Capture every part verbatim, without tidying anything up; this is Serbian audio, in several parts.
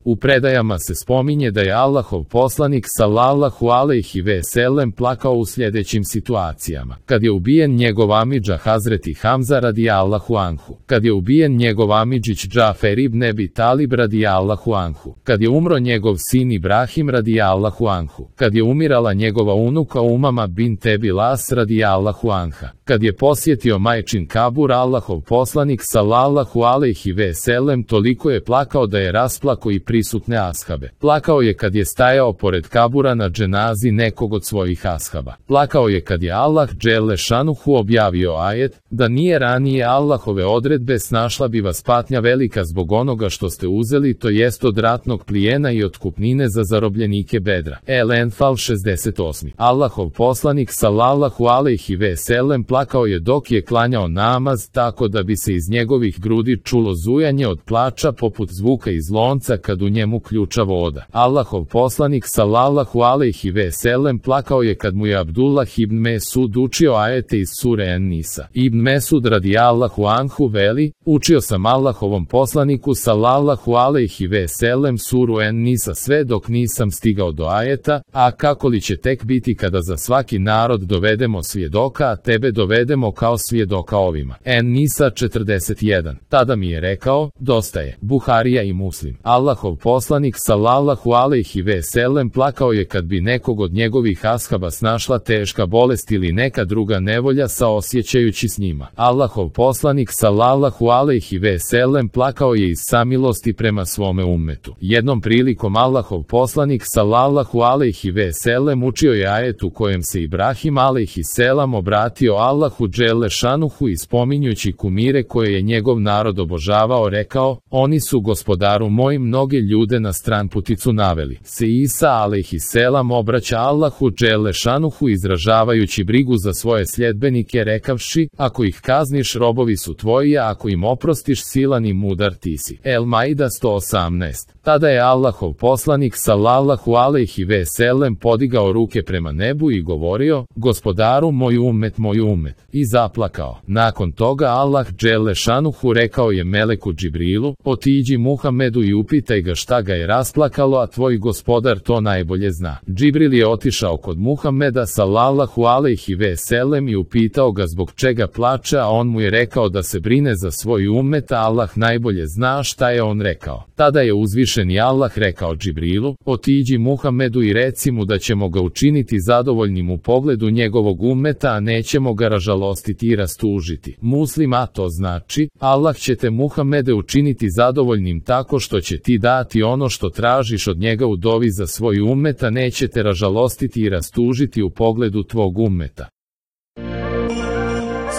U predajama se spominje da je Allahov poslanik sallallahu alejhi ve sellem plakao u sljedećim situacijama: kad je ubijen njegov amidža Hazreti Hamza radijallahu anhu, kad je ubijen njegov amidžić Džafer ibn Ebi Talib radijallahu anhu, kad je umro njegov sin Ibrahim radijallahu anhu, kad je umirala njegova unuka Umama bint Ebi Las radijallahu anha, kad je posjetio majčin kabur Allahov poslanik sallallahu alejhi ve sellem toliko je plakao da je rasplakao i prisutne ashabe. Plakao je kad je stajao pored kabura na dženazi nekog od svojih ashaba. Plakao je kad je Allah dželle šanuhu objavio ajet: da nije ranije Allahove odredbe snašla bi vas patnja velika zbog onoga što ste uzeli, to jest od ratnog plijena i otkupnine za zarobljenike Bedra. El Enfal šezdeset osam. Allahov poslanik sallallahu alejhi ve sellem plakao je dok je klanjao namaz, tako da bi se iz njegovih grudi čulo zujanje od plača poput zvuka iz lonca kad u njemu ključa voda. Allahov poslanik sallallahu alejhi ve sellem plakao je kad mu je Abdullah ibn Mesud učio ajete iz sure En-Nisa. Ibn Mesud radijallahu anhu veli: učio sam Allahovom poslaniku sallallahu alejhi ve sellem suru En-Nisa sve dok nisam stigao do ajeta: a kako li će tek biti kada za svaki narod dovedemo svjedoka, a tebe dovedemo kao svjedoka ovima. En-Nisa četrdeset jedan. Tada mi je rekao: dosta je. Buharija i Muslim. Allahov poslanik sallallahu alejhi ve sellem plakao je kad bi nekog od njegovih ashaba snašla teška bolest ili neka druga nevolja saosjećajući s njima. Allahov poslanik sallallahu alejhi ve sellem plakao je iz samilosti prema svome ummetu. Jednom prilikom Allahov poslanik sallallahu alejhi ve sellem učio je ajet u kojem se Ibrahim alejhi selam obratio Allahu dželle šanuhu i spominjući kumire koje je njegov narod obožavao rekao: oni su gospodaru moj mnoge ljude na stranputicu naveli. Se Isa alejhi selam obraća Allahu dželle šanuhu izražavajući brigu za svoje sljedbenike rekavši: ako ih kazniš robovi su tvoji, a ako im oprostiš silan i mudar ti si. El Maida sto osamnaest. Tada je Allahov poslanik sallallahu alejhi ve sellem podigao ruke prema nebu i govorio: gospodaru moj ummet, moj ummet, i zaplakao. Nakon toga Allah dželle šanuhu rekao je meleku Džibrilu: otiđi Muhammedu i upitaj ga šta ga je rasplakalo, a tvoj gospodar to najbolje zna. Džibril je otišao kod Muhammeda sallallahu alejhi ve sellem i upitao ga zbog čega plače, a on mu je rekao da se brine za svoj ummet, a Allah najbolje zna šta je on rekao. Tada je uzvišeni Allah rekao Džibrilu: otiđi Muhammedu i reci mu da ćemo ga učiniti zadovoljnim u pogledu njegovog ummeta, a nećemo ga ražalostiti i rastužiti. Muslim, a to znači, Allah će te Muhammede učiniti zadovoljnim tako što će ti dati ono što tražiš od njega u dovi za svoj ummet, a neće te ražalostiti i rastužiti u pogledu tvog ummeta.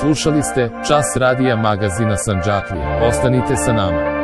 Slušali ste Čas radija magazina Sandžaklija. Ostanite sa nama.